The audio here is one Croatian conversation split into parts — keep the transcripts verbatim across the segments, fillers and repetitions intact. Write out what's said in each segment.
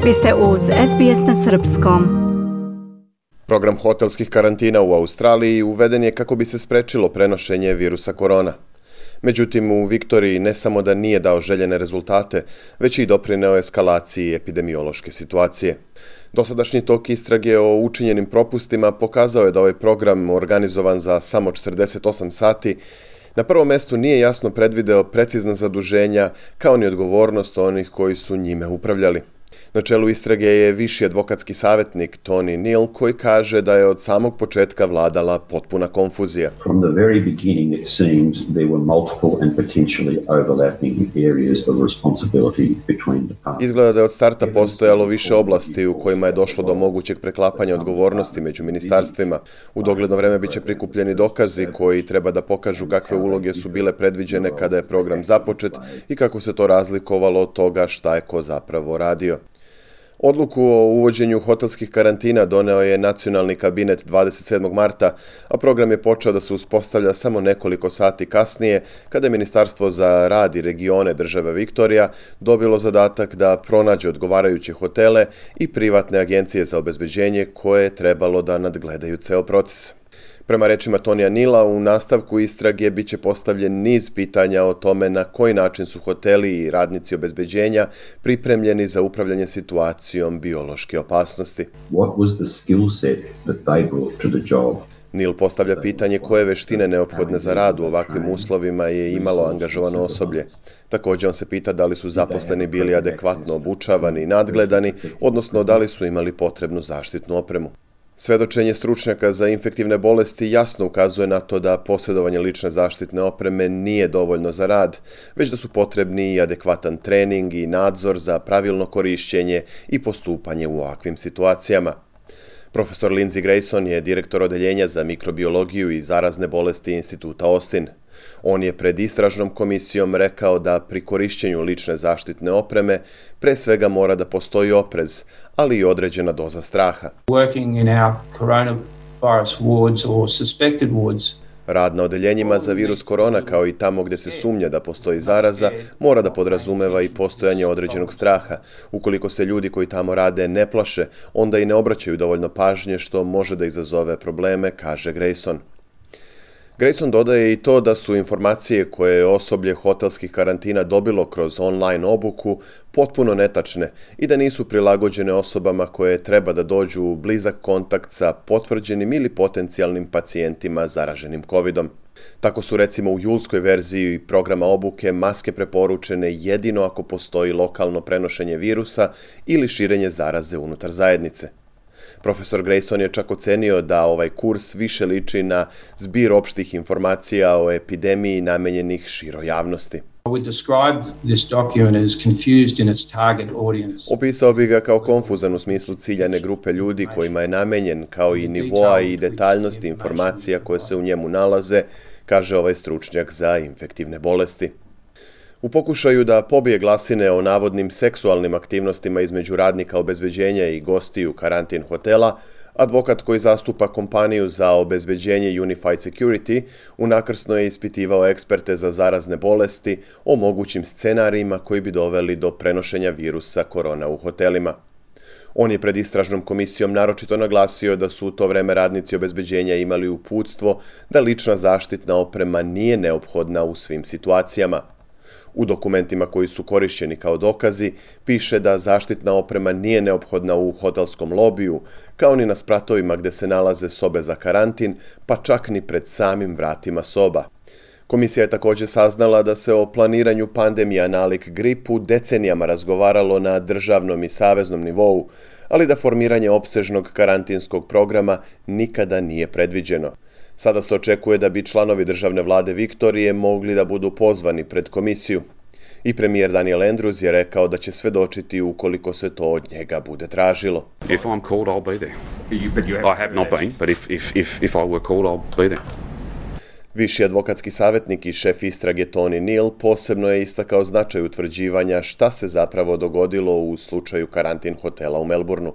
Vi ste uz S B S na srpskom. Program hotelskih karantina u Australiji uveden je kako bi se sprečilo prenošenje virusa korona. Međutim, u Viktoriji ne samo da nije dao željene rezultate, već i doprineo eskalaciji epidemiološke situacije. Dosadašnji tok istrage o učinjenim propustima pokazao je da ovaj program, organizovan za samo četrdeset osam sati, na prvom mestu nije jasno predvideo precizna zaduženja kao ni odgovornost onih koji su njime upravljali. Na čelu istrage je viši advokatski savjetnik Tony Neal, koji kaže da je od samog početka vladala potpuna konfuzija. From the very beginning it seems there were multiple and potentially overlapping areas of responsibility between departments. Izgleda da je od starta postojalo više oblasti u kojima je došlo do mogućeg preklapanja odgovornosti među ministarstvima. U dogledno vreme biće prikupljeni dokazi koji treba da pokažu kakve uloge su bile predviđene kada je program započet i kako se to razlikovalo od toga šta je ko zapravo radio. Odluku o uvođenju hotelskih karantina doneo je nacionalni kabinet dvadeset sedmog marta, a program je počeo da se uspostavlja samo nekoliko sati kasnije, kada je Ministarstvo za rad i regione države Viktorija dobilo zadatak da pronađe odgovarajuće hotele i privatne agencije za obezbeđenje koje je trebalo da nadgledaju ceo proces. Prema rečima Tonija Nila, u nastavku istrage biće postavljen niz pitanja o tome na koji način su hoteli i radnici obezbeđenja pripremljeni za upravljanje situacijom biološke opasnosti. What was the skill set that they brought to the job? Nil postavlja pitanje koje veštine neophodne za rad u ovakvim uslovima je imalo angažovano osoblje. Također on se pita da li su zaposleni bili adekvatno obučavani i nadgledani, odnosno da li su imali potrebnu zaštitnu opremu. Svedočenje stručnjaka za infektivne bolesti jasno ukazuje na to da posjedovanje lične zaštitne opreme nije dovoljno za rad, već da su potrebni i adekvatan trening i nadzor za pravilno korišćenje i postupanje u ovakvim situacijama. Profesor Lindsay Grayson je direktor odeljenja za mikrobiologiju i zarazne bolesti Instituta Austin. On je pred istražnom komisijom rekao da pri korišćenju lične zaštitne opreme pre svega mora da postoji oprez, ali i određena doza straha. Working in our coronavirus wards or suspected wards. Rad na odeljenjima za virus korona, kao i tamo gdje se sumnja da postoji zaraza, mora da podrazumeva i postojanje određenog straha. Ukoliko se ljudi koji tamo rade ne plaše, onda i ne obraćaju dovoljno pažnje, što može da izazove probleme, kaže Grayson. Grayson dodaje i to da su informacije koje je osoblje hotelskih karantina dobilo kroz online obuku potpuno netačne i da nisu prilagođene osobama koje treba da dođu u blizak kontakt sa potvrđenim ili potencijalnim pacijentima zaraženim kovidom. Tako su recimo u julskoj verziji programa obuke maske preporučene jedino ako postoji lokalno prenošenje virusa ili širenje zaraze unutar zajednice. Profesor Grayson je čak ocenio da ovaj kurs više liči na zbir opštih informacija o epidemiji namenjenih široj javnosti. Opisao bi ga kao konfuzan u smislu ciljane grupe ljudi kojima je namenjen, kao i nivoa i detaljnosti informacija koje se u njemu nalaze, kaže ovaj stručnjak za infektivne bolesti. U pokušaju da pobije glasine o navodnim seksualnim aktivnostima između radnika obezbeđenja i gostiju karantin hotela, advokat koji zastupa kompaniju za obezbeđenje Unified Security unakrsno je ispitivao eksperte za zarazne bolesti o mogućim scenarijima koji bi doveli do prenošenja virusa korona u hotelima. On je pred istražnom komisijom naročito naglasio da su u to vreme radnici obezbeđenja imali uputstvo da lična zaštitna oprema nije neophodna u svim situacijama. U dokumentima koji su korišćeni kao dokazi piše da zaštitna oprema nije neophodna u hotelskom lobiju, kao ni na spratovima gdje se nalaze sobe za karantin, pa čak ni pred samim vratima soba. Komisija je također saznala da se o planiranju pandemija nalik gripu decenijama razgovaralo na državnom i saveznom nivou, ali da formiranje opsežnog karantinskog programa nikada nije predviđeno. Sada se očekuje da bi članovi državne vlade Viktorije mogli da budu pozvani pred komisiju. I premijer Daniel Andrews je rekao da će svedočiti ukoliko se to od njega bude tražilo. If I'm called, I'll be there. I have not been, but if, if, if, if I were called, I'll be there. Viši advokatski savjetnik i šef istrage Tony Neal posebno je istakao značaj utvrđivanja šta se zapravo dogodilo u slučaju karantin hotela u Melbourneu.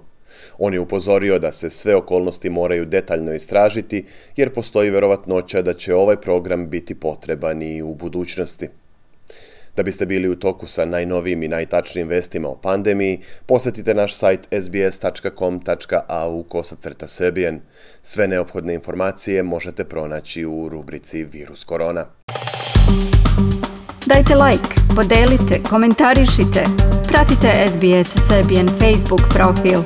On je upozorio da se sve okolnosti moraju detaljno istražiti, jer postoji verovatnoća da će ovaj program biti potreban i u budućnosti. Da biste bili u toku sa najnovijim i najtačnijim vestima o pandemiji, posjetite naš sajt s b s tačka com tačka a u kosacrta Serbian. Sve neophodne informacije možete pronaći u rubrici Virus korona. Dajte like, podelite, komentarišite. Pratite S B S Serbian Facebook profil.